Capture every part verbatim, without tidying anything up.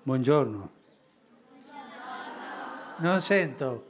Buongiorno. Non sento.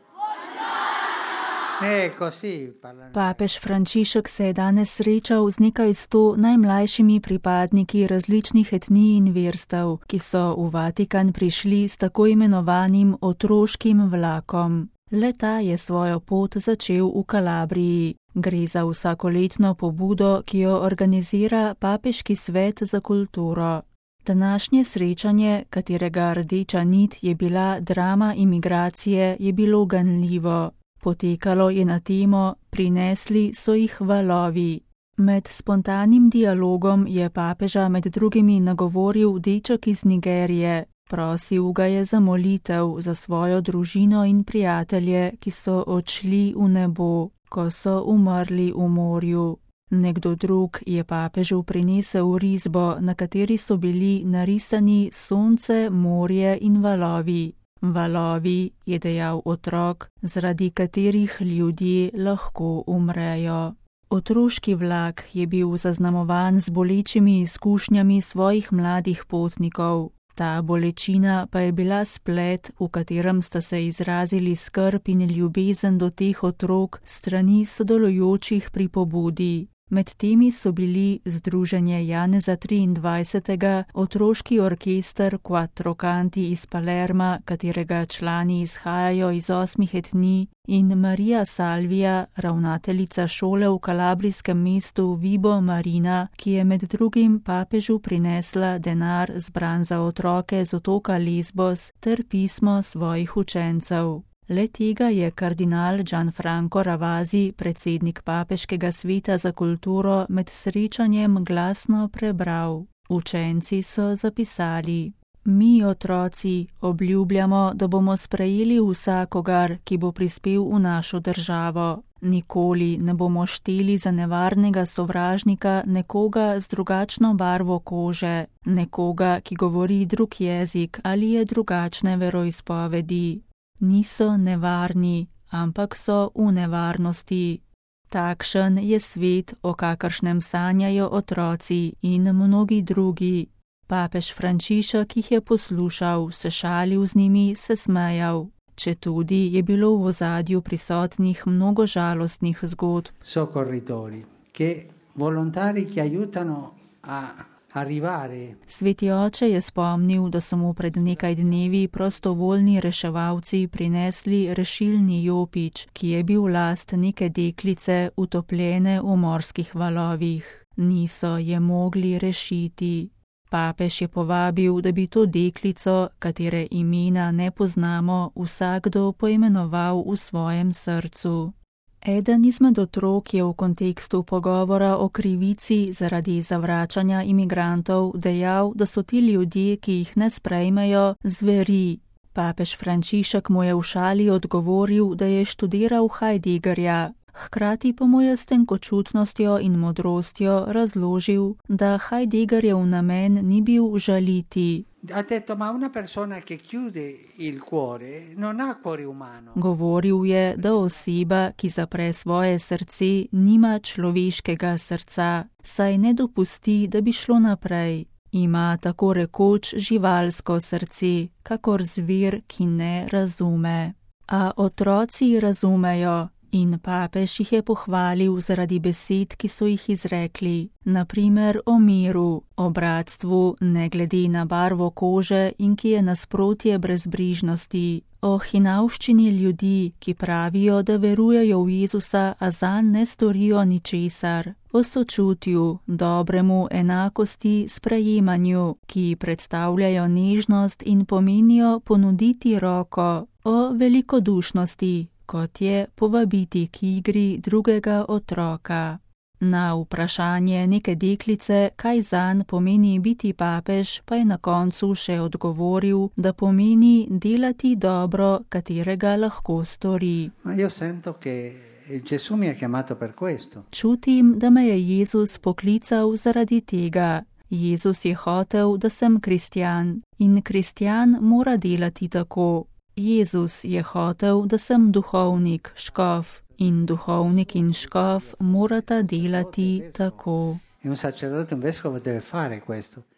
Eh, così parlano. Papež Frančišek se je danes srečal z nekaj sto najmlajšimi pripadniki različnih etnij in verstev, ki so v Vatikan prišli s tako imenovanim otroškim vlakom. Le-ta je svojo pot začel v Kalabriji. Gre za vsakoletno pobudo, ki jo organizira Papeški svet za kulturo. Današnje srečanje, katerega rdeča nit je bila drama imigracije, je bilo ganljivo. Potekalo je na temo Prinesli so jih valovi. Med spontanim dialogom je papeža med drugimi nagovoril deček iz Nigerije. Prosil ga je za molitev za svojo družino in prijatelje, ki so odšli v nebo, ko so umrli v morju. Nekdo drug je papežu prinesel risbo, na kateri so bili narisani sonce, morje in valovi. Valovi, je dejal otrok, zaradi katerih ljudje lahko umrejo. Otroški vlak je bil zaznamovan z bolečimi izkušnjami svojih mladih potnikov. Ta bolečina pa je bila splet, v katerem sta se izrazili skrb in ljubezen do teh otrok strani sodelujočih pri pobudi. Med temi so bili Združenje Janeza triindvajsetega, otroški orkester Quattro Canti iz Palerma, katerega člani izhajajo iz osmih etnij, in Maria Salvia, ravnateljica šole v kalabrijskem mestu Vibo Marina, ki je med drugim papežu prinesla denar zbran za otroke z otoka Lesbos ter pismo svojih učencev. Le tega je kardinal Gianfranco Ravasi, predsednik Papeškega sveta za kulturo, med srečanjem glasno prebral. Učenci so zapisali: Mi, otroci, obljubljamo, da bomo sprejeli vsakogar, ki bo prispel v našo državo. Nikoli ne bomo šteli za nevarnega sovražnika nekoga z drugačno barvo kože, nekoga, ki govori drug jezik ali je drugačne veroizpovedi. Niso nevarni, ampak so v nevarnosti. Takšen je svet, o kakršnem sanjajo otroci in mnogi drugi. Papež Frančišek jih je poslušal, se šalil z njimi, se smejal. Četudi je bilo v ozadju prisotnih mnogo žalostnih zgodb. Soccorritori, che volontari che aiutano a arrivare. Sveti oče je spomnil, da so mu pred nekaj dnevi prostovoljni reševalci prinesli rešilni jopič, ki je bil last neke deklice utopljene v morskih valovih. Niso je mogli rešiti. Papež je povabil, da bi to deklico, katere imena ne poznamo, vsakdo poimenoval v svojem srcu. Eden izmed otrok je v kontekstu pogovora o krivici zaradi zavračanja imigrantov dejal, da so ti ljudje, ki jih ne sprejmejo, zveri. Papež Frančišek mu je v šali odgovoril, da je študiral Heideggerja. Hkrati pa mu je s tenkočutnostjo in modrostjo razložil, da Heideggerjev namen ni bil žaliti. Ha detto, ma una persona che chiude il cuore non ha cuore umano. Govoril je, da oseba, ki zapre svoje srce, nima človeškega srca, saj ne dopusti, da bi šlo naprej. Ima tako rekoč živalsko srce, kakor zver, ki ne razume. A otroci razumejo. In papež jih je pohvalil zaradi besed, ki so jih izrekli, naprimer o miru, o bratstvu, ne glede na barvo kože in ki je nasprotje brezbrižnosti, o hinavščini ljudi, ki pravijo, da verujejo v Jezusa, a zanj ne storijo ničesar, o sočutju, dobremu, enakosti, sprejemanju, ki predstavljajo nežnost in pomenijo ponuditi roko, o velikodušnosti, kot je povabiti k igri drugega otroka. Na vprašanje neke deklice, kaj zanj pomeni biti papež, pa je na koncu še odgovoril, da pomeni delati dobro, katerega lahko stori. Ma io sento che Gesù mi ha chiamato per questo. Čutim, da me je Jezus poklical zaradi tega. Jezus je hotel, da sem kristjan, in kristjan mora delati tako. Jezus je hotel, da sem duhovnik, škof, in duhovnik in škof morata delati tako. E un sacerdote, un vescovo deve fare questo.